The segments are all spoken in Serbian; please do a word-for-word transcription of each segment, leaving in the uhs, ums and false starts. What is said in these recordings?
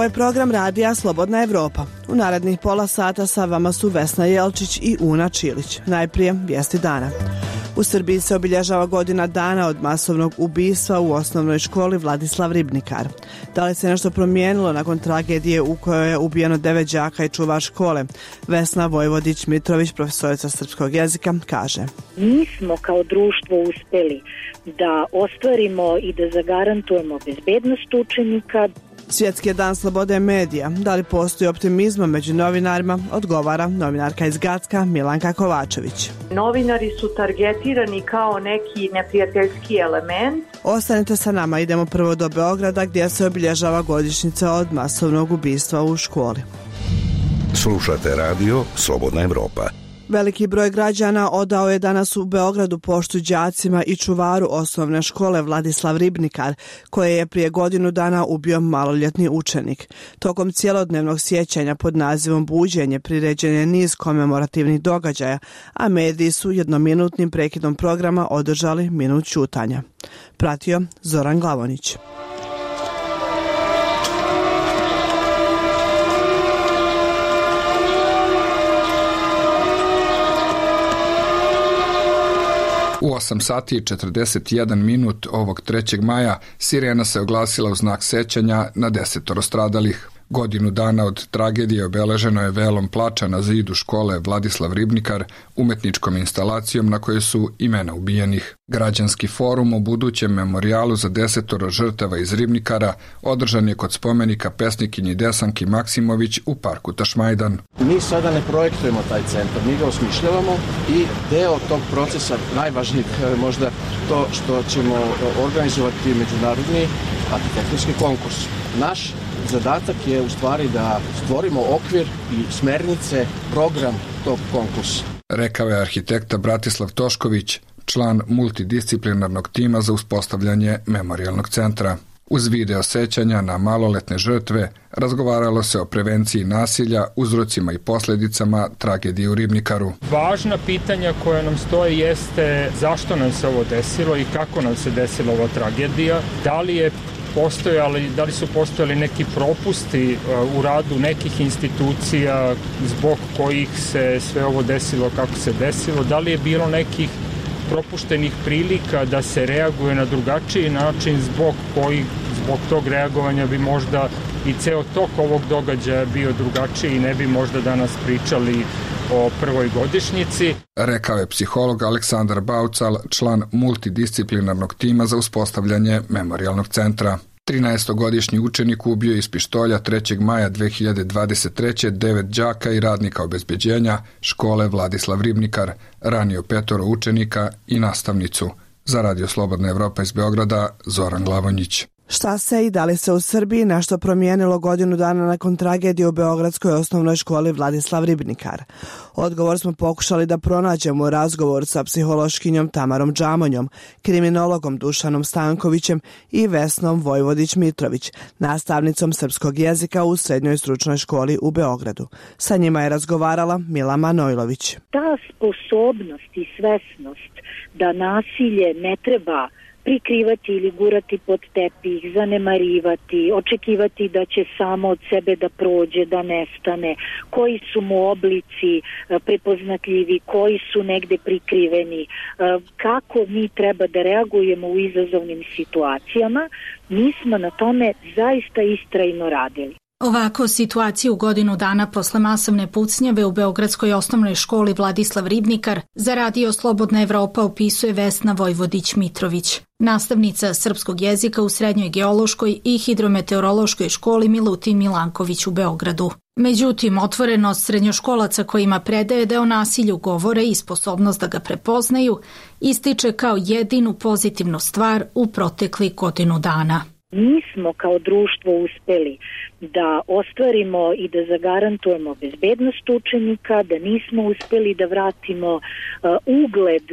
Ovo je program radija Slobodna Evropa. U narednih pola sata sa vama su Vesna Jelčić i Una Čilić. Najprije vijesti dana. U Srbiji se obilježava godina dana od masovnog ubistva u osnovnoj školi Vladislav Ribnikar. Da li se nešto promijenilo nakon tragedije u kojoj je ubijeno devet đaka i čuvar škole? Vesna Vojvodić-Mitrović, profesorica srpskog jezika, kaže: Mi smo kao društvo uspeli da ostvarimo i da zagarantujemo bezbednost učenika. Svjetski je dan slobode medija. Da li postoji optimizma među novinarima? Odgovara novinarka iz Gacka Milanka Kovačević. Novinari su targetirani kao neki neprijateljski element. Ostanite sa nama, idemo prvo do Beograda gdje se obilježava godišnjica od masovnog ubistva u školi. Slušate radio Slobodna Evropa. Veliki broj građana odao je danas u Beogradu poštu đacima i čuvaru osnovne škole Vladislav Ribnikar, koje je prije godinu dana ubio maloljetni učenik. Tokom cijelodnevnog sjećanja pod nazivom Buđenje priređen je niz komemorativnih događaja, a mediji su jednominutnim prekidom programa održali minut ćutanja. Pratio Zoran Glavonić. U osam sati i četrdeset jedan minut ovog trećeg maja sirena se oglasila u znak sećanja na desetoro stradalih. Godinu dana od tragedije obeleženo je velom plača na zidu škole Vladislav Ribnikar, umetničkom instalacijom na kojoj su imena ubijenih. Građanski forum o budućem memorijalu za desetoro žrtava iz Ribnikara održan je kod spomenika pesnikinji Desanki Maksimović u parku Tašmajdan. Mi sada ne projektujemo taj centar, mi ga osmišljavamo i deo tog procesa, najvažnijeg možda to što ćemo organizovati međunarodni arhitektonski konkurs. Naš zadatak je u stvari da stvorimo okvir i smernice, program tog konkursa. Rekao je arhitekta Bratislav Tošković, član multidisciplinarnog tima za uspostavljanje memorijalnog centra. Uz video sećanja na maloletne žrtve razgovaralo se o prevenciji nasilja, uzrocima i posljedicama tragedije u Ribnikaru. Važna pitanja koja nam stoje jeste zašto nam se ovo desilo i kako nam se desila ova tragedija, da li je postojali, da li su postojali neki propusti u radu nekih institucija zbog kojih se sve ovo desilo kako se desilo, da li je bilo nekih propuštenih prilika da se reaguje na drugačiji način zbog kojih, zbog tog reagovanja bi možda i ceo tok ovog događaja bio drugačiji i ne bi možda danas pričali o prvoj godišnjici. Rekao je psiholog Aleksandar Baucal, član multidisciplinarnog tima za uspostavljanje memorijalnog centra. trinaestogodišnji učenik ubio iz pištolja trećeg maja dve hiljade dvadeset treće devet đaka i radnika obezbeđenja škole Vladislav Ribnikar, ranio petoro učenika i nastavnicu. Za Radio Slobodna Evropa iz Beograda, Zoran Glavonjić. Šta se i da li se u Srbiji nešto promijenilo godinu dana nakon tragedije u beogradskoj osnovnoj školi Vladislav Ribnikar? Odgovor smo pokušali da pronađemo u razgovoru sa psihološkinjom Tamarom Džamonjom, kriminologom Dušanom Stankovićem i Vesnom Vojvodić-Mitrović, nastavnicom srpskog jezika u srednjoj stručnoj školi u Beogradu. Sa njima je razgovarala Mila Manojlović. Ta sposobnost i svesnost da nasilje ne treba prikrivati ili gurati pod tepih, zanemarivati, očekivati da će samo od sebe da prođe, da nestane, koji su mu oblici prepoznatljivi, koji su negde prikriveni, kako mi treba da reagujemo u izazovnim situacijama, mi smo na tome zaista istrajno radili. Ovako situaciju godinu dana posle masovne pucnjave u beogradskoj osnovnoj školi Vladislav Ribnikar za Radio Slobodna Evropa opisuje Vesna Vojvodić-Mitrović, nastavnica srpskog jezika u srednjoj geološkoj i hidrometeorološkoj školi Milutin Milanković u Beogradu. Međutim, otvorenost srednjoškolaca kojima predaje da o nasilju govore i sposobnost da ga prepoznaju ističe kao jedinu pozitivnu stvar u proteklih godinu dana. Mi smo kao društvo uspeli da ostvarimo i da zagarantujemo bezbednost učenika, da nismo uspeli da vratimo uh, ugled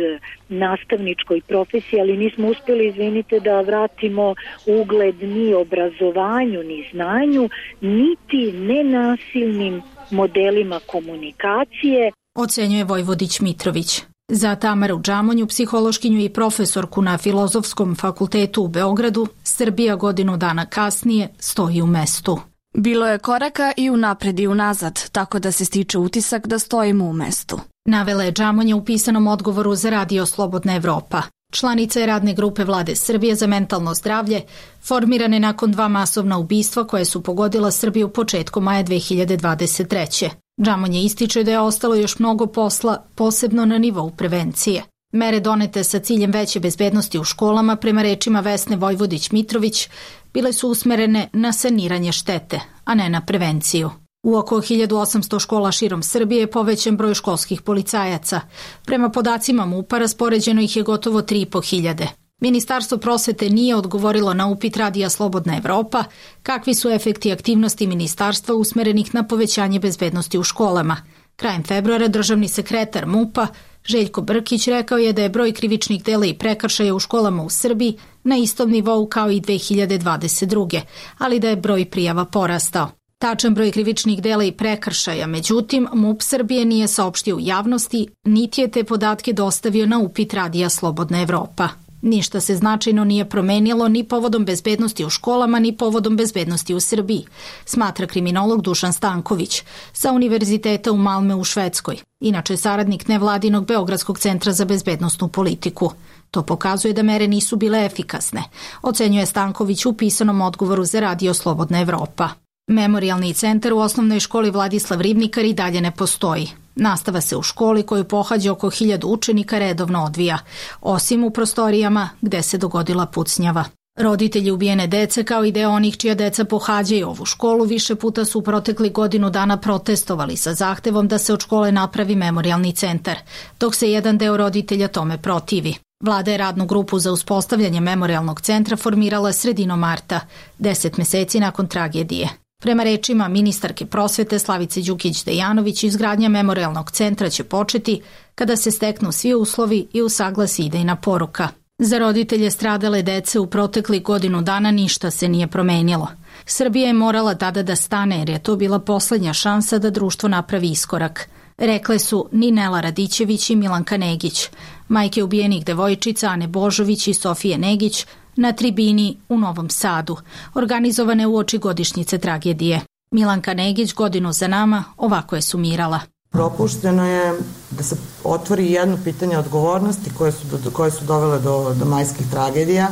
nastavničkoj profesiji, ali nismo uspeli, izvinite, da vratimo ugled ni obrazovanju, ni znanju, niti nenasilnim modelima komunikacije. Ocenjuje Vojvodić-Mitrović. Za Tamaru Džamonju, psihološkinju i profesorku na Filozofskom fakultetu u Beogradu, Srbija godinu dana kasnije stoji u mestu. Bilo je koraka i unapred i unazad, tako da se stiče utisak da stojimo u mestu. Navela je Džamonja u pisanom odgovoru za Radio Slobodna Evropa. Članica je radne grupe Vlade Srbije za mentalno zdravlje, formirane nakon dva masovna ubistva koje su pogodila Srbiju početkom maja dve hiljade dvadeset treće. Džamonja ističe da je ostalo još mnogo posla, posebno na nivou prevencije. Mere donete sa ciljem veće bezbednosti u školama, prema rečima Vesne Vojvodić-Mitrović, bile su usmerene na saniranje štete, a ne na prevenciju. U oko hiljadu osamsto škola širom Srbije je povećan broj školskih policajaca. Prema podacima MUP-a raspoređeno ih je gotovo tri i po hiljade. Ministarstvo prosvete nije odgovorilo na upit Radija Slobodna Evropa kakvi su efekti aktivnosti ministarstva usmerenih na povećanje bezbednosti u školama. Krajem februara državni sekretar MUP-a Željko Brkić rekao je da je broj krivičnih dela i prekršaja u školama u Srbiji na istom nivou kao i dve hiljade dvadeset druge, ali da je broj prijava porastao. Tačan broj krivičnih dela i prekršaja, međutim, MUP Srbije nije saopštio u javnosti, niti je te podatke dostavio na upit Radija Slobodna Evropa. Ništa se značajno nije promenilo ni povodom bezbednosti u školama, ni povodom bezbednosti u Srbiji, smatra kriminolog Dušan Stanković sa Univerziteta u Malme u Švedskoj, inače saradnik nevladinog Beogradskog centra za bezbednosnu politiku. To pokazuje da mere nisu bile efikasne, ocenjuje Stanković u pisanom odgovoru za Radio Slobodna Evropa. Memorijalni centar u osnovnoj školi Vladislav Ribnikar i dalje ne postoji. Nastava se u školi koju pohađa oko hiljadu učenika redovno odvija, osim u prostorijama gde se dogodila pucnjava. Roditelji ubijene dece, kao i deo onih čija deca pohađaju ovu školu, više puta su u protekli godinu dana protestovali sa zahtevom da se od škole napravi memorijalni centar, dok se jedan deo roditelja tome protivi. Vlada je radnu grupu za uspostavljanje memorijalnog centra formirala sredinom marta, deset meseci nakon tragedije. Prema rečima ministarke prosvete Slavice Đukić-Dejanović, izgradnja memorijalnog centra će početi kada se steknu svi uslovi i usaglasi idejna poruka. Za roditelje stradale dece u protekli godinu dana ništa se nije promenilo. Srbija je morala tada da stane jer je to bila poslednja šansa da društvo napravi iskorak. Rekle su Ninela Radićević i Milanka Negić, majke ubijenih devojčica Ane Božović i Sofije Negić, na tribini u Novom Sadu, organizovane uoči godišnjice tragedije. Milanka Negić godinu za nama ovako je sumirala. Propušteno je da se otvori jedno pitanje odgovornosti koje su, koje su dovele do, do majskih tragedija.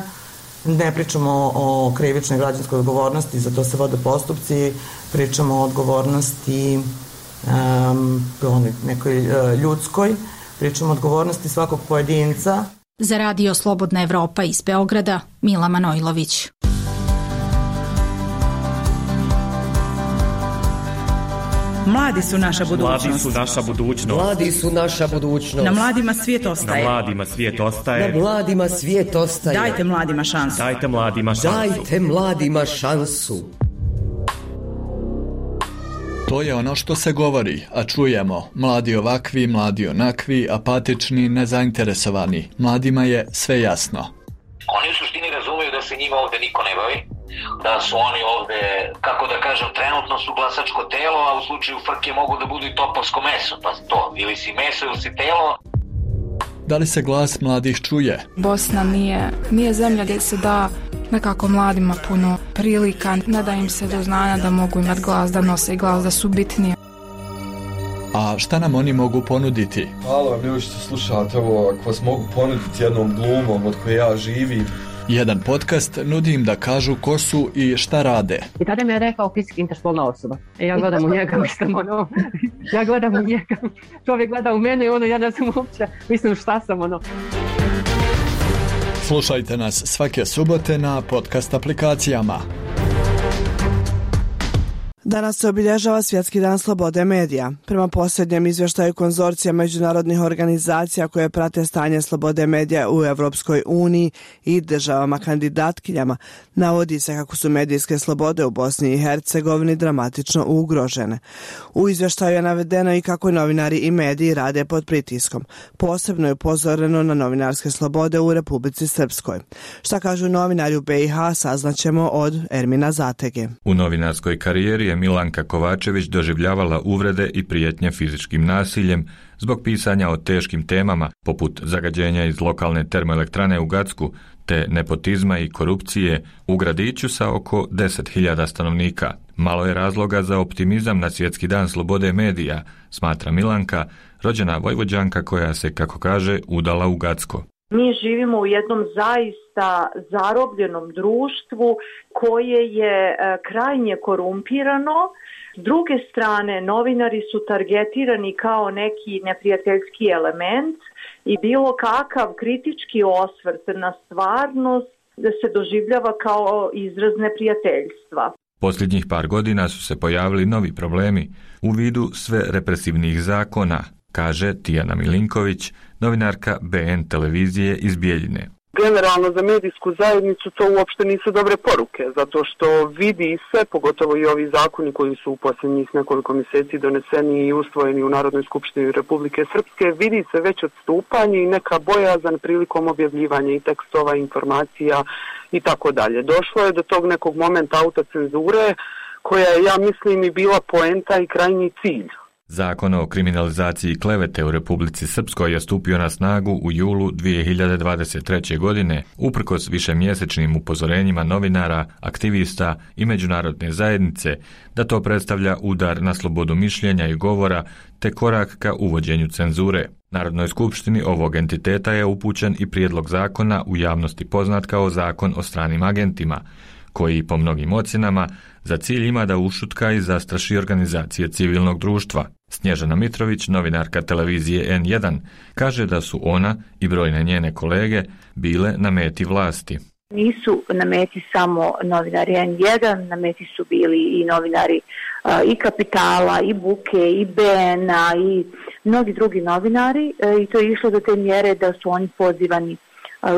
Ne pričamo o, o krivičnoj građanskoj odgovornosti, za to se vode postupci, pričamo o odgovornosti um, nekoj uh, ljudskoj, pričamo o odgovornosti svakog pojedinca. Za Radio Slobodna Evropa iz Beograda, Mila Manojlović. Mladi su naša budućnost. Mladi su naša budućnost. Mladi su naša budućnost. Na mladima svijet ostaje. Na mladima svijet ostaje. Na mladima svijet ostaje. Dajte mladima šansu. Dajte mladima šansu. Dajte mladima šansu. To je ono što se govori, a čujemo. Mladi ovakvi, mladi onakvi, apatični, nezainteresovani. Mladima je sve jasno. Oni u suštini razumeju da se njima ovde niko ne bavi, da su oni ovde, kako da kažem, trenutno su glasačko telo, a u slučaju frke mogu da budu i topovsko meso, pa to, ili si meso ili si telo. Da li se glas mladih čuje? Bosna nije, nije zemlja gdje se da nekako mladima puno prilika, ne da im se do znanja da mogu imati glas, da nose glas, da su bitnije. A šta nam oni mogu ponuditi? Hvala vam ljudi što slušate ovo, ako vas mogu ponuditi jednom glumom od koje ja živim. Jedan podcast nudi im da kažu ko su i šta rade. I tada mi je rekao fizički interspolna osoba. E ja gledam u njega, mislim ono, ja gledam u njega, čovjek gleda u mene i ono, ja ne znam uopće, mislim šta sam ono. Slušajte nas svake subote na podcast aplikacijama. Danas se obilježava Svjetski dan slobode medija. Prema posljednjem izvještaju konzorcija međunarodnih organizacija koje prate stanje slobode medija u Evropskoj uniji i državama kandidatkinjama, navodi se kako su medijske slobode u Bosni i Hercegovini dramatično ugrožene. U izvještaju je navedeno i kako novinari i mediji rade pod pritiskom. Posebno je upozoreno na novinarske slobode u Republici Srpskoj. Šta kažu novinari u B i H saznaćemo od Ermina Zatege. U novinarskoj karijeri je Milanka Kovačević doživljavala uvrede i prijetnje fizičkim nasiljem zbog pisanja o teškim temama poput zagađenja iz lokalne termoelektrane u Gacku te nepotizma i korupcije u gradiću sa oko deset hiljada stanovnika. Malo je razloga za optimizam na Svjetski dan slobode medija, smatra Milanka, rođena Vojvođanka koja se, kako kaže, udala u Gacko. Mi živimo u jednom zaista zarobljenom društvu koje je krajnje korumpirano. S druge strane, novinari su targetirani kao neki neprijateljski element i bilo kakav kritički osvrt na stvarnost da se doživljava kao izraz neprijateljstva. Posljednjih par godina su se pojavili novi problemi u vidu sve represivnih zakona, kaže Tijana Milinković, novinarka B N televizije iz Bijeljine. Generalno za medijsku zajednicu to uopšte nisu dobre poruke, zato što vidi se, pogotovo i ovi zakoni koji su u posljednjih nekoliko mjeseci doneseni i usvojeni u Narodnoj skupštini Republike Srpske, vidi se već odstupanje i neka bojazan prilikom objavljivanja i tekstova, informacija i tako dalje. Došlo je do tog nekog momenta autocenzure koja je, ja mislim, i bila poenta i krajnji cilj. Zakon o kriminalizaciji klevete u Republici Srpskoj je stupio na snagu u julu dvije hiljade dvadeset treće. godine, uprkos višemjesečnim upozorenjima novinara, aktivista i međunarodne zajednice da to predstavlja udar na slobodu mišljenja i govora te korak ka uvođenju cenzure. Narodnoj skupštini ovog entiteta je upućen i prijedlog zakona u javnosti poznat kao Zakon o stranim agentima, koji po mnogim ocjenama za cilj ima da ušutka i zastraši organizacije civilnog društva. Snježana Mitrović, novinarka televizije N jedan, kaže da su ona i brojne njene kolege bile na meti vlasti. Nisu na meti samo novinari N jedan, na meti su bili i novinari a, i Kapitala, i Buke, i B N-a, i mnogi drugi novinari a, i to je išlo do te mjere da su oni pozivani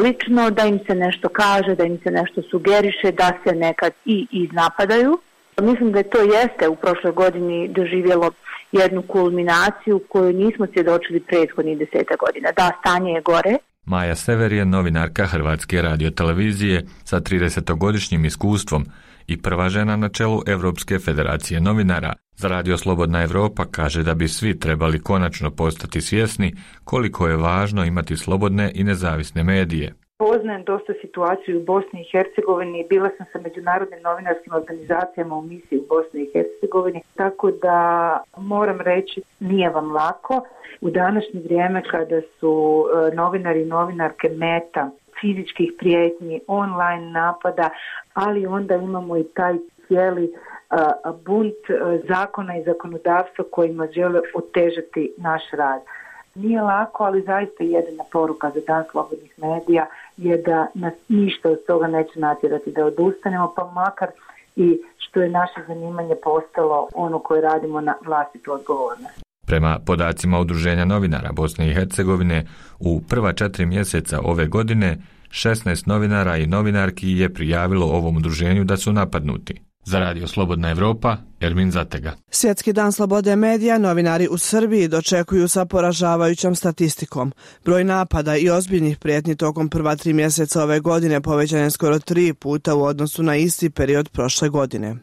lično, da im se nešto kaže, da im se nešto sugeriše, da se nekad i iznapadaju. Mislim da to jeste u prošloj godini doživjelo jednu kulminaciju koju nismo svjedočili prethodnih deseta godina. Da, stanje je gore. Maja Sever je novinarka Hrvatske radiotelevizije sa tridesetogodišnjim iskustvom i prva žena na čelu Evropske federacije novinara. Za Radio Slobodna Evropa kaže da bi svi trebali konačno postati svjesni koliko je važno imati slobodne i nezavisne medije. Poznajem dosta situaciju u Bosni i Hercegovini, bila sam sa međunarodnim novinarskim organizacijama u misiji u Bosni i Hercegovini, tako da moram reći nije vam lako. U današnje vrijeme kada su novinari i novinarke meta fizičkih prijetnji, online napada, ali onda imamo i taj cijeli bunt zakona i zakonodavstva kojima žele otežati naš rad. Nije lako, ali zaista jedina poruka za Dan slobodnih medija je da nas ništa od toga neće natjerati da odustanemo, pa makar i što je naše zanimanje postalo ono koje radimo na vlastitu odgovornost. Prema podacima Udruženja novinara Bosne i Hercegovine, u prva četiri mjeseca ove godine šesnaest novinara i novinarki je prijavilo ovom udruženju da su napadnuti. Za Radio Slobodna Evropa, Ermin Zatega. Svjetski dan slobode medija novinari u Srbiji dočekuju sa poražavajućom statistikom. Broj napada i ozbiljnih prijetnji tokom prva tri mjeseca ove godine povećan je skoro tri puta u odnosu na isti period prošle godine.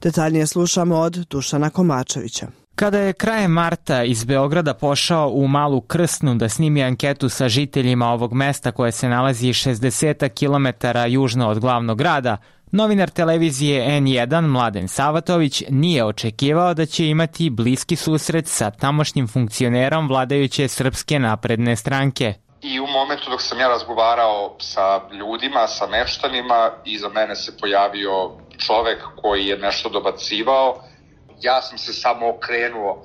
Detaljnije slušamo od Dušana Komačevića. Kada je krajem marta iz Beograda pošao u Malu Krsnu da snimi anketu sa žiteljima ovog mesta koje se nalazi šezdeset kilometara južno od glavnog grada, novinar televizije N jedan Mladen Savatović nije očekivao da će imati bliski susret sa tamošnjim funkcionerom vladajuće Srpske napredne stranke. I u momentu dok sam ja razgovarao sa ljudima, sa meštanima, iza mene se pojavio čovek koji je nešto dobacivao. Ja sam se samo okrenuo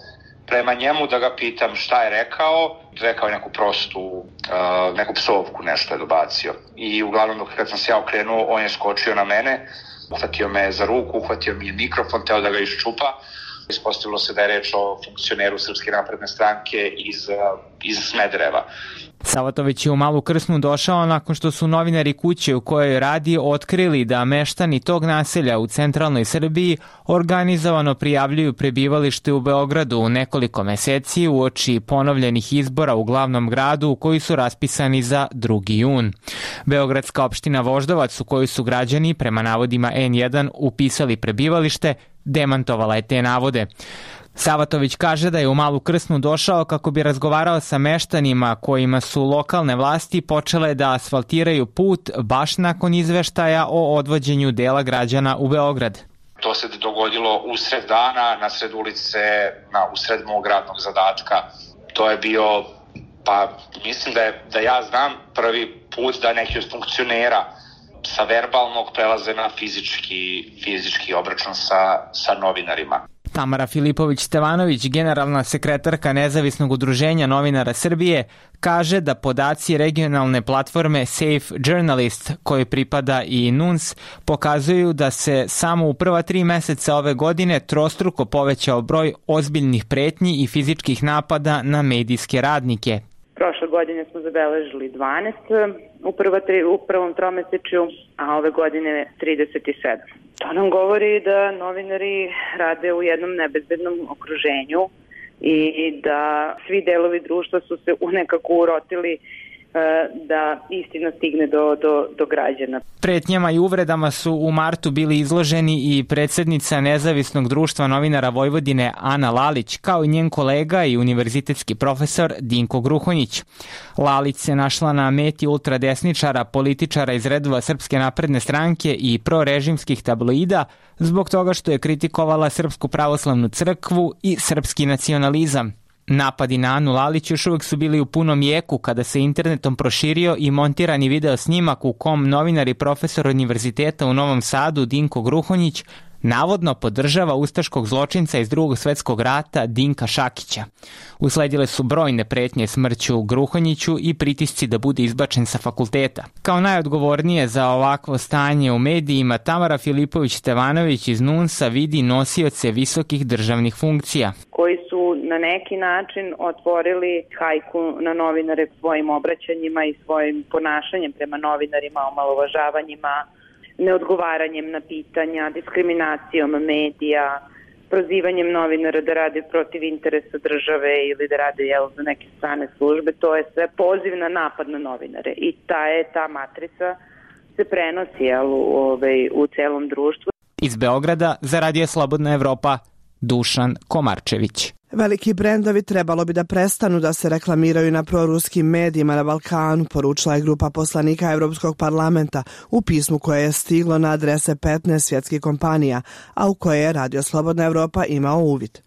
prema njemu da ga pitam šta je rekao. Rekao je neku prostu, uh, neku psovku, nešto je dobacio. I uglavnom kad sam se ja okrenuo, on je skočio na mene, uhvatio me za ruku, uhvatio mi je mikrofon, teo da ga iščupa. Ispostavilo se da je reč o funkcioneru Srpske napredne stranke iz, iz Smedereva. Savatović je u Malu Krsnu došao nakon što su novinari kuće u kojoj radi otkrili da meštani tog naselja u centralnoj Srbiji organizovano prijavljuju prebivalište u Beogradu u nekoliko meseci uoči ponovljenih izbora u glavnom gradu koji su raspisani za drugi jun. Beogradska opština Voždovac u kojoj su građani prema navodima N jedan upisali prebivalište demantovala je te navode. Savatović kaže da je u Malu Krsnu došao kako bi razgovarao sa meštanima kojima su lokalne vlasti počele da asfaltiraju put baš nakon izveštaja o odvođenju dela građana u Beograd. To se dogodilo usred dana, na sred ulice, na usred mog radnog zadatka. To je bio, pa mislim da, je, da ja znam prvi put da neki od funkcionera sa verbalnog prelaze na fizički, fizički obračun sa, sa novinarima. Tamara Filipović-Stevanović, generalna sekretarka Nezavisnog udruženja novinara Srbije, kaže da podaci regionalne platforme Safe Journalist, koji pripada i N U N S, pokazuju da se samo u prva tri meseca ove godine trostruko povećao broj ozbiljnih pretnji i fizičkih napada na medijske radnike. Prošle godine smo zabeležili dvanaest u, prva tri, u prvom tromesečju, a ove godine trideset sedam. To nam govori da novinari rade u jednom nebezbednom okruženju i da svi delovi društva su se nekako urotili da istina stigne do, do, do građana. Pretnjama i uvredama su u martu bili izloženi i predsednica Nezavisnog društva novinara Vojvodine Ana Lalić, kao i njen kolega i univerzitetski profesor Dinko Gruhonjić. Lalić se našla na meti ultradesničara, političara iz redova Srpske napredne stranke i prorežimskih tabloida zbog toga što je kritikovala Srpsku pravoslavnu crkvu i srpski nacionalizam. Napadi na Anu Lalić još uvek su bili u punom jeku kada se internetom proširio i montirani video snimak u kom novinar i profesor univerziteta u Novom Sadu Dinko Gruhonjić navodno podržava ustaškog zločinca iz Drugog svetskog rata Dinka Šakića. Usledile su brojne pretnje smrću Gruhonjiću i pritisci da bude izbačen sa fakulteta. Kao najodgovornije za ovakvo stanje u medijima, Tamara Filipović-Stevanović iz N U N S-a vidi nosioce visokih državnih funkcija, koji su na neki način otvorili hajku na novinare svojim obraćanjima i svojim ponašanjem prema novinarima, omalovažavanjima, neodgovaranjem na pitanja, diskriminacijom medija, prozivanjem novinara da rade protiv interesa države ili da rade jel, za neke strane službe. To je sve poziv na napad na novinare i ta je ta matrica se prenosi jel, u, ovaj, u celom društvu. Iz Beograda za Radio Slobodna Evropa, Dušan Komarčević. Veliki brendovi trebalo bi da prestanu da se reklamiraju na proruskim medijima na Balkanu, poručila je grupa poslanika Evropskog parlamenta u pismu koje je stiglo na adrese petnaest svjetskih kompanija, a u koje je Radio Slobodna Evropa imao uvid.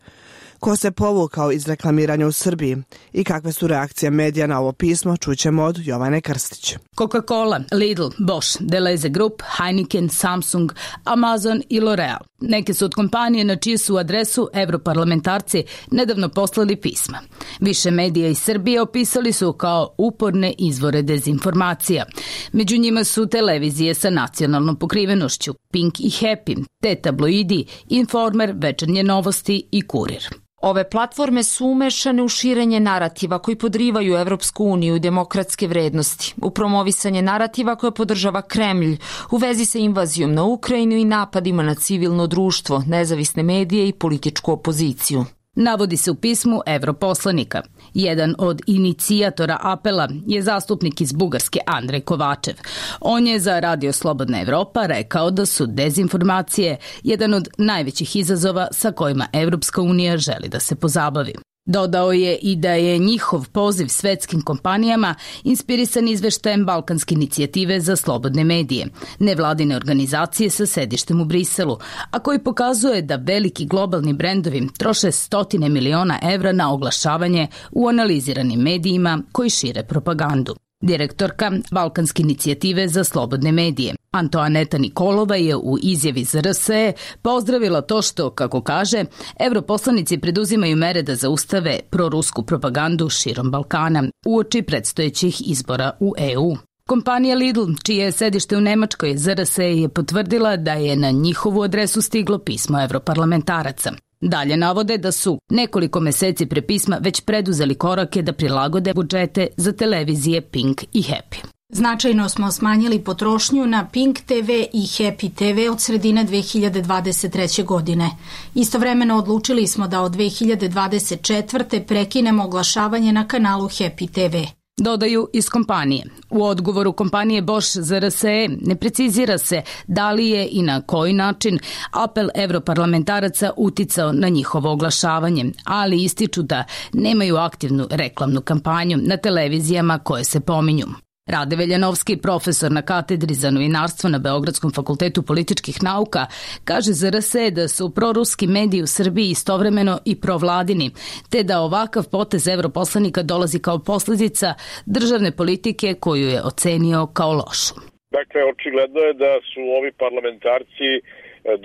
Ko se povukao iz reklamiranja u Srbiji i kakve su reakcije medija na ovo pismo, čućemo od Jovane Krstić. Coca-Cola, Lidl, Bosch, Deleuze Group, Heineken, Samsung, Amazon i L'Oreal. Neke su od kompanije na čiju su adresu europarlamentarci nedavno poslali pisma. Više medija iz Srbije opisali su kao uporne izvore dezinformacija. Među njima su televizije sa nacionalnom pokrivenošću, Pink i Happy, te tabloidi, Informer, Večernje novosti i Kurir. Ove platforme su umešane u širenje narativa koji podrivaju Evropsku uniju i demokratske vrednosti, u promovisanje narativa koje podržava Kremlj, u vezi sa invazijom na Ukrajinu i napadima na civilno društvo, nezavisne medije i političku opoziciju. Navodi se u pismu europoslanika. Jedan od inicijatora apela je zastupnik iz Bugarske Andrej Kovačev. On je za Radio Slobodna Evropa rekao da su dezinformacije jedan od najvećih izazova sa kojima Evropska unija želi da se pozabavi. Dodao je i da je njihov poziv svetskim kompanijama inspirisan izveštajem Balkanske inicijative za slobodne medije, nevladine organizacije sa sedištem u Briselu, a koji pokazuje da veliki globalni brendovi troše stotine miliona evra na oglašavanje u analiziranim medijima koji šire propagandu. Direktorka Balkanske inicijative za slobodne medije, Antoaneta Nikolova, je u izjavi za R S E pozdravila to što, kako kaže, europoslanici preduzimaju mere da zaustave prorusku propagandu širom Balkana uoči predstojećih izbora u E U. Kompanija Lidl, čije je sedište u Nemačkoj, za R S E je potvrdila da je na njihovu adresu stiglo pismo evroparlamentaraca. Dalje navode da su nekoliko meseci pre pisma već preduzeli korake da prilagode budžete za televizije Pink i Happy. Značajno smo smanjili potrošnju na Pink T V i Happy T V od sredine dve hiljade dvadeset treće. godine. Istovremeno odlučili smo da od dve hiljade dvadeset četvrte prekinemo oglašavanje na kanalu Happy T V. Dodaju iz kompanije. U odgovoru kompanije Bosch za R S E ne precizira se da li je i na koji način apel evroparlamentaraca uticao na njihovo oglašavanje, ali ističu da nemaju aktivnu reklamnu kampanju na televizijama koje se pominju. Rade Veljanovski, profesor na katedri za novinarstvo na Beogradskom fakultetu političkih nauka, kaže za R S E da su proruski mediji u Srbiji istovremeno i provladini, te da ovakav potez evroposlanika dolazi kao posljedica državne politike koju je ocenio kao lošu. Dakle, očigledno je da su ovi parlamentarci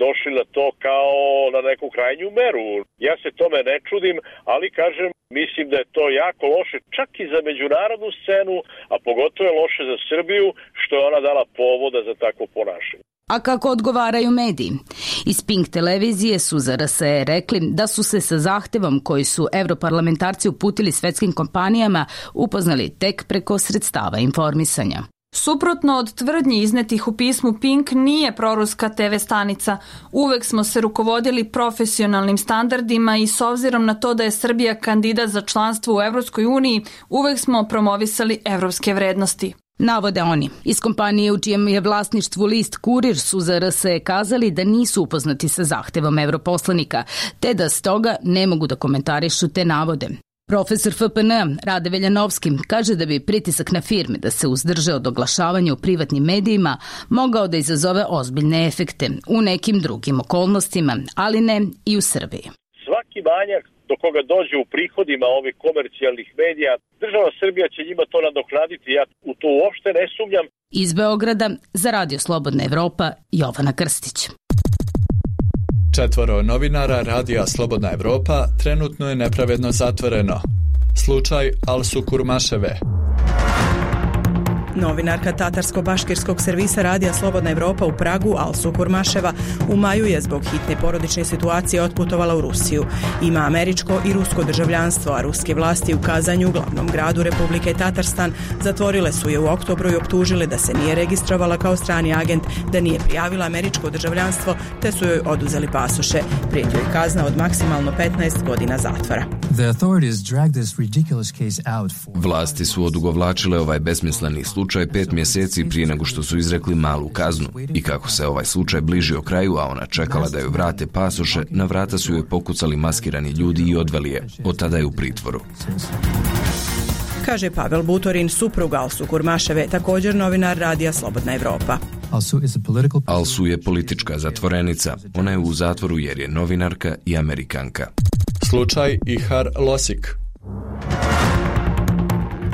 došli na to kao na neku krajnju meru. Ja se tome ne čudim, ali kažem, mislim da je to jako loše čak i za međunarodnu scenu, a pogotovo je loše za Srbiju što je ona dala povoda za takvo ponašanje. A kako odgovaraju mediji? Iz Pink televizije su za R S E rekli da su se sa zahtevom koji su evroparlamentarci uputili svetskim kompanijama upoznali tek preko sredstava informisanja. Suprotno od tvrdnji iznetih u pismu, Pink nije proruska te ve stanica. Uvek smo se rukovodili profesionalnim standardima i s obzirom na to da je Srbija kandidat za članstvo u Evropskoj uniji, uvek smo promovisali evropske vrednosti. Navode oni. Iz kompanije u čijem je vlasništvu list Kurir su za R S E kazali da nisu upoznati sa zahtevom evroposlanika, te da stoga ne mogu da komentarišu te navode. Profesor F P N Rade Veljanovski kaže da bi pritisak na firme da se uzdrže od oglašavanja u privatnim medijima mogao da izazove ozbiljne efekte u nekim drugim okolnostima, ali ne i u Srbiji. Svaki manjak do koga dođe u prihodima ovih komercijalnih medija, država Srbija će njima to nadoknaditi, ja u to uopšte ne sumnjam. Iz Beograda za Radio Slobodna Evropa, Jovana Krstić. Četvoro novinara Radija Slobodna Evropa trenutno je nepravedno zatvoreno. Slučaj Alsu Kurmaševe. Novinarka tatarsko-baškirskog servisa Radija Slobodna Evropa u Pragu, Alsu Kurmaševa, u maju je zbog hitne porodične situacije otputovala u Rusiju. Ima američko i rusko državljanstvo, a ruske vlasti u Kazanju, glavnom gradu Republike Tatarstan, zatvorile su je u oktobru i optužile da se nije registrovala kao strani agent, da nije prijavila američko državljanstvo, te su joj oduzeli pasoše. Prijeti joj kazna od maksimalno petnaest godina zatvora. Vlasti su odugovlačile ovaj besmisleni slučaj pet mjeseci prije nego što su izrekli malu kaznu. I kako se ovaj slučaj bližio kraju, a ona čekala da joj vrate pasoše, na vrata su joj pokucali maskirani ljudi i odveli je. Od tada je u pritvoru. Kaže Pavel Butorin, suprug Alsu Kurmaševe, također novinar Radija Slobodna Evropa. Alsu je politička zatvorenica. Ona je u zatvoru jer je novinarka i Amerikanka. Slučaj Ihar Losik.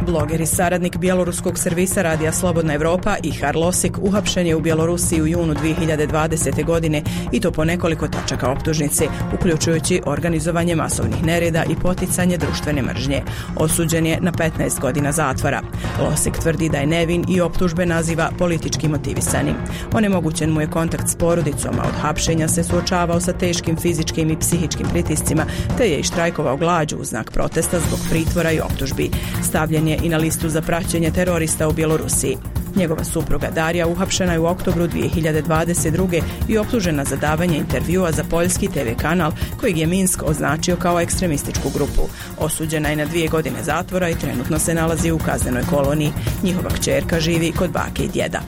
Bloger i saradnik bjeloruskog servisa Radija Slobodna Evropa Ihar Losik uhapšen je u Bjelorusiji u junu dvije hiljade dvadesete. godine i to po nekoliko tačaka optužnice, uključujući organizovanje masovnih nereda i poticanje društvene mržnje. Osuđen je na petnaest godina zatvora. Losik tvrdi da je nevin i optužbe naziva politički motivisanim. Onemogućen mu je kontakt s porodicom, a od hapšenja se suočavao sa teškim fizičkim i psihičkim pritiscima, te je i štrajkovao glađu u znak protesta zbog pritvora i optužbi. Stavljen je i na listu za praćenje terorista u Bjelorusiji. Njegova supruga Darija uhapšena je u oktobru dvije hiljade dvadeset druge. i optužena za davanje intervjua za poljski te ve kanal kojeg je Minsk označio kao ekstremističku grupu. Osuđena je na dvije godine zatvora i trenutno se nalazi u kaznenoj koloniji. Njihova kćerka živi kod bake i djeda.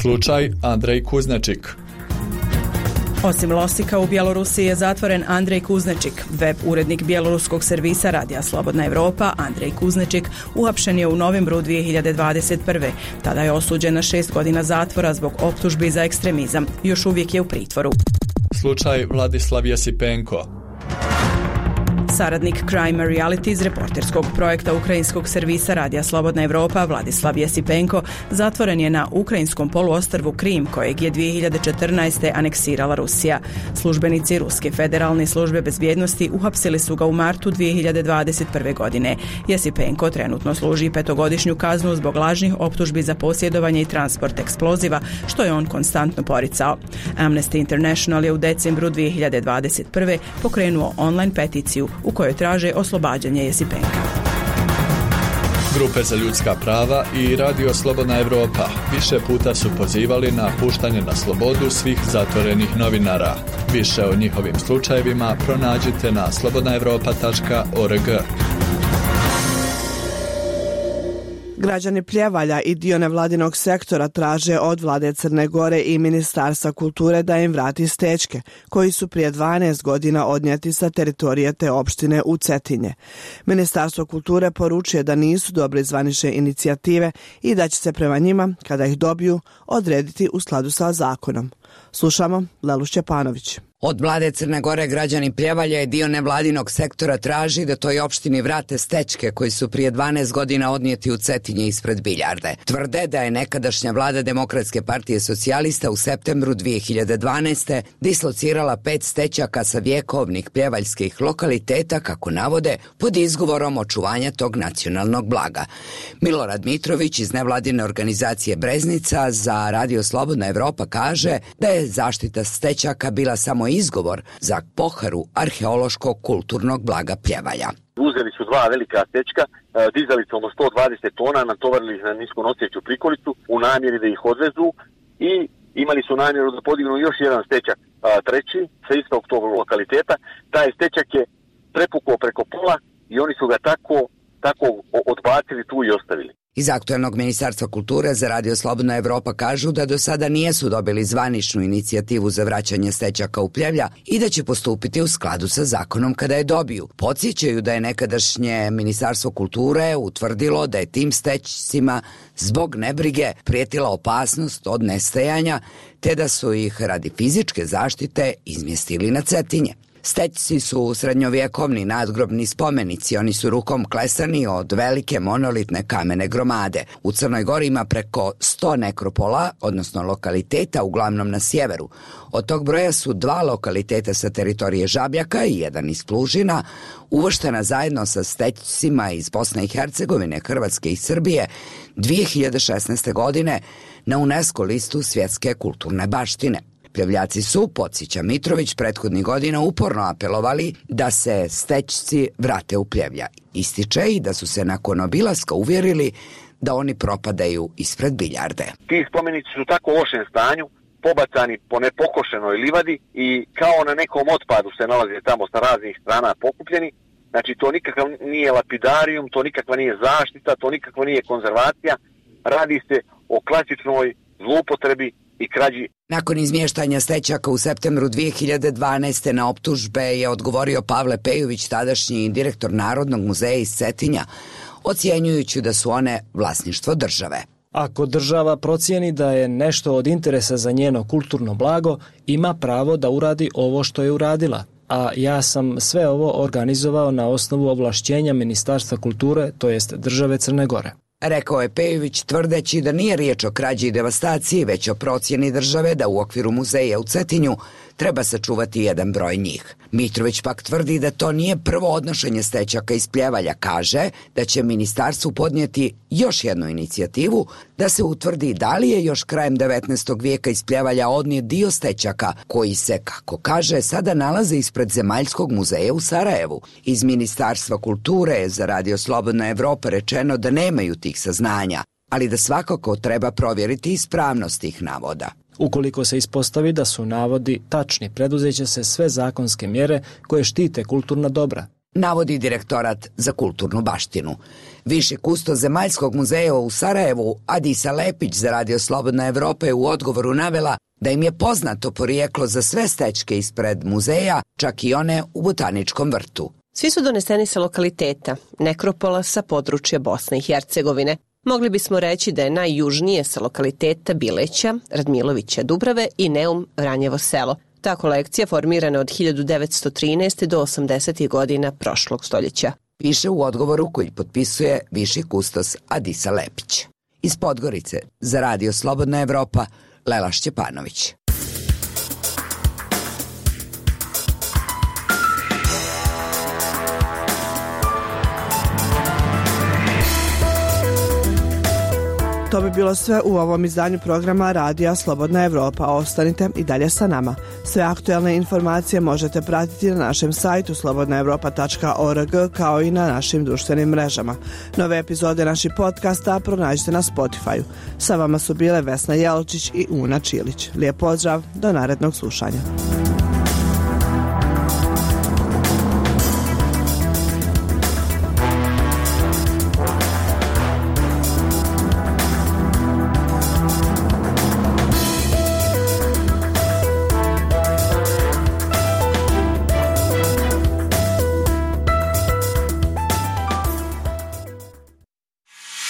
Slučaj Andrej Kuznačik. Osim Losika, u Bjelorusiji je zatvoren Andrej Kuznečik. Web urednik bjeloruskog servisa Radija Slobodna Evropa, Andrej Kuznečik, uhapšen je u novembru dvije hiljade dvadeset prve. Tada je osuđen na šest godina zatvora zbog optužbi za ekstremizam. Još uvijek je u pritvoru. Slučaj Vladislav Jesipenko. Saradnik Crime Reality iz reporterskog projekta ukrajinskog servisa Radija Slobodna Evropa Vladislav Jesipenko zatvoren je na ukrajinskom poluostrvu Krim, kojeg je dvije hiljade četrnaeste. aneksirala Rusija. Službenici Ruske federalne službe bezbjednosti uhapsili su ga u martu dvije hiljade dvadeset prve. godine. Jesipenko trenutno služi petogodišnju kaznu zbog lažnih optužbi za posjedovanje i transport eksploziva, što je on konstantno poricao. Amnesty International je u decembru dvije hiljade dvadeset prve. pokrenuo online peticiju u kojoj traže oslobađanje Jesipenka. Grupe za ljudska prava i Radio Slobodna Evropa više puta su pozivali na puštanje na slobodu svih zatvorenih novinara. Više o njihovim slučajevima pronađite na slobodna evropa tačka org. Građani Pljevalja i dio nevladinog sektora traže od vlade Crne Gore i Ministarstva kulture da im vrati stečke, koji su prije dvanaest godina odnijeti sa teritorije te opštine u Cetinje. Ministarstvo kulture poručuje da nisu dobre zvanične inicijative i da će se prema njima, kada ih dobiju, odrediti u skladu sa zakonom. Slušamo Lelu Šćepanović. Od vlade Crne Gore građani Pljevalja i dio nevladinog sektora traži da toj opštini vrate stečke koji su prije dvanaest godina odnijeti u Cetinje ispred Biljarde. Tvrde da je nekadašnja vlada Demokratske partije socijalista u septembru dvije hiljade dvanaeste. dislocirala pet stećaka sa vjekovnih pljevaljskih lokaliteta, kako navode, pod izgovorom očuvanja tog nacionalnog blaga. Milorad Mitrović iz nevladine organizacije Breznica za Radio Slobodna Evropa kaže da je zaštita stećaka bila samo izgovor za poharu arheološkog kulturnog blaga Pljevalja. Uzeli su dva velika stečka, dizalicom od sto dvadeset tona, natovarili ih na nisko noseću prikolicu u namjeri da ih odvezu i imali su namjeru da podignu još jedan stečak, treći, sa istog tog lokaliteta. Taj stečak je prepukao preko pola i oni su ga tako, tako odbacili tu i ostavili. Iz aktuelnog Ministarstva kulture za Radio Slobodna Evropa kažu da do sada nijesu dobili zvaničnu inicijativu za vraćanje stećaka u Pljevlja i da će postupiti u skladu sa zakonom kada je dobiju. Podsjećaju da je nekadašnje Ministarstvo kulture utvrdilo da je tim stećcima zbog nebrige prijetila opasnost od nestajanja, te da su ih radi fizičke zaštite izmjestili na Cetinje. Stećci su srednjovjekovni nadgrobni spomenici, oni su rukom klesani od velike monolitne kamene gromade. U Crnoj Gori ima preko sto nekropola, odnosno lokaliteta, uglavnom na sjeveru. Od tog broja su dva lokaliteta sa teritorije Žabljaka i jedan iz Plužina, uvrštena zajedno sa stećcima iz Bosne i Hercegovine, Hrvatske i Srbije dvije hiljade šesnaeste. godine na UNESCO listu svjetske kulturne baštine. Pljevljaci su, podsjeća Mitrović, prethodnih godina uporno apelovali da se stećci vrate u Pljevlja. Ističe i da su se nakon obilaska uvjerili da oni propadaju ispred Biljarde. Ti spomenici su tako u lošem stanju, pobacani po nepokošenoj livadi i kao na nekom otpadu se nalaze tamo sa raznih strana pokupljeni. Znači to nikakav nije lapidarijum, to nikakva nije zaštita, to nikakva nije konzervacija. Radi se o klasičnoj zloupotrebi i krađi. Nakon izmještanja stećaka u septembru dvije hiljade dvanaeste. na optužbe je odgovorio Pavle Pejović, tadašnji direktor Narodnog muzeja iz Cetinja, ocjenjujući da su one vlasništvo države. Ako država procijeni da je nešto od interesa za njeno kulturno blago, ima pravo da uradi ovo što je uradila. A ja sam sve ovo organizovao na osnovu ovlašćenja Ministarstva kulture, to jest države Crne Gore. Rekao je Pejović, tvrdeći da nije riječ o krađi i devastaciji, već o procjeni države da u okviru muzeja u Cetinju treba sačuvati jedan broj njih. Mitrović pak tvrdi da to nije prvo odnošenje stećaka iz Pljevalja, kaže da će ministarstvu podnijeti još jednu inicijativu da se utvrdi da li je još krajem devetnaestog vijeka iz Pljevalja odnijet dio stećaka koji se, kako kaže, sada nalaze ispred Zemaljskog muzeja u Sarajevu. Iz Ministarstva kulture je za Radio Slobodna Evropa rečeno da nemaju tih saznanja, ali da svakako treba provjeriti ispravnost tih navoda. Ukoliko se ispostavi da su navodi tačni, preduzeće se sve zakonske mjere koje štite kulturna dobra. Navodi Direktorat za kulturnu baštinu. Viši kustos Zemaljskog muzeja u Sarajevu, Adisa Lepić za Radio Slobodna Evropa je u odgovoru navela da im je poznato porijeklo za sve stećke ispred muzeja, čak i one u Botaničkom vrtu. Svi su doneseni sa lokaliteta, nekropola sa područja Bosne i Hercegovine. Mogli bismo reći da je najjužnije sa lokaliteta Bileća, Radmilovića Dubrave i Neum Vranjevo selo. Ta kolekcija formirana od hiljadu devetsto trinaeste. do osamdesetih godina prošlog stoljeća. Piše u odgovoru koji potpisuje viši kustos Adisa Lepić. Iz Podgorice za Radio Slobodna Evropa, Lela Šćepanović. To bi bilo sve u ovom izdanju programa Radija Slobodna Evropa. Ostanite i dalje sa nama. Sve aktuelne informacije možete pratiti na našem sajtu slobodna evropa tačka org kao i na našim društvenim mrežama. Nove epizode naših podcasta pronađite na Spotify-u. Sa vama su bile Vesna Jelčić i Una Čilić. Lijep pozdrav, do narednog slušanja.